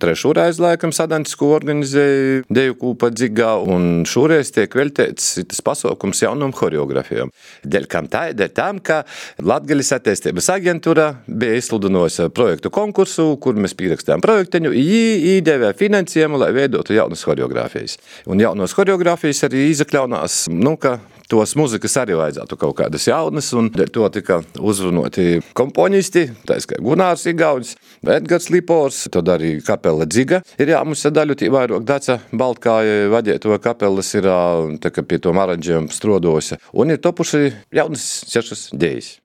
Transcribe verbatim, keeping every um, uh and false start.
Trešo reizi laikam Sadaņas, ko organizēja deju kūpa Dzigā, un šoreiz tiek veltēts tas pasaukums jaunam choreografijam. Dēļ kam tā, dēļ tam, ka Latgalis attīstības aģentūra bija izsludinājusi projektu konkursu, kur mēs pierakstījām projekteņu, jī īdevē finansējumu, lai veidotu jaunas choreografijas. Un jaunos choreografijas arī izakļaunās, nu, ka tos muzikas arī vajadzētu kaut kādas jaunas, un to tika uzrunoti komponisti, tais kā Gunārs Igaunis, Edgars Lipors, tad arī kapela Dziga ir jāmusa daļu tī vairāk Daca Baltkāja vadieto kapelas ir tā kā pie tom aranžiem strodojusi, un ir topuši jaunas sešas dejas.